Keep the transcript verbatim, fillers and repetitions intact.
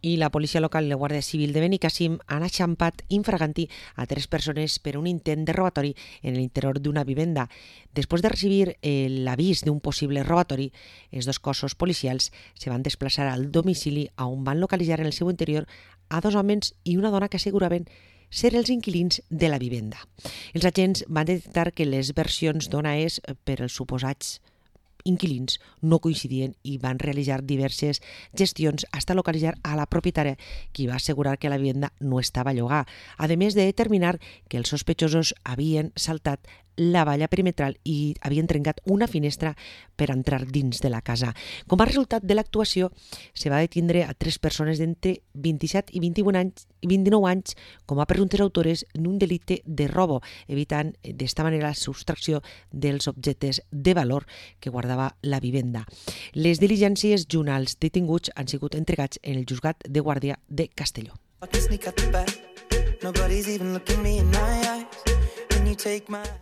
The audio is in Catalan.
I la policia local i la Guàrdia Civil de Benicàssim han enxampat infraganti a tres persones per un intent de robatori en l'interior d'una vivenda. Després de recibir eh, l'avís d'un possible robatori, els dos cossos policials se van desplaçar al domicili on van localitzar en el seu interior a dos homes i una dona que asseguraven ser els inquilins de la vivenda. Els agents van detectar que les versions d'on és per als suposats inquilins no coincidien i van realitzar diverses gestions fins a localitzar a la propietària, qui va assegurar que la vivenda no estava a llogar, a més de determinar que els sospechosos havien saltat la valla perimetral i havien trencat una finestra per entrar dins de la casa. Com a resultat de l'actuació, se va detindre a tres persones d'entre vint-i-set i vint-i-un anys, vint-i-nou anys com a presumptes autores d'un delicte de robo, evitant d'esta manera la subtracció dels objectes de valor que guardava la vivenda. Les diligències junt als detinguts han sigut entregats en el Juzgat de Guàrdia de Castelló.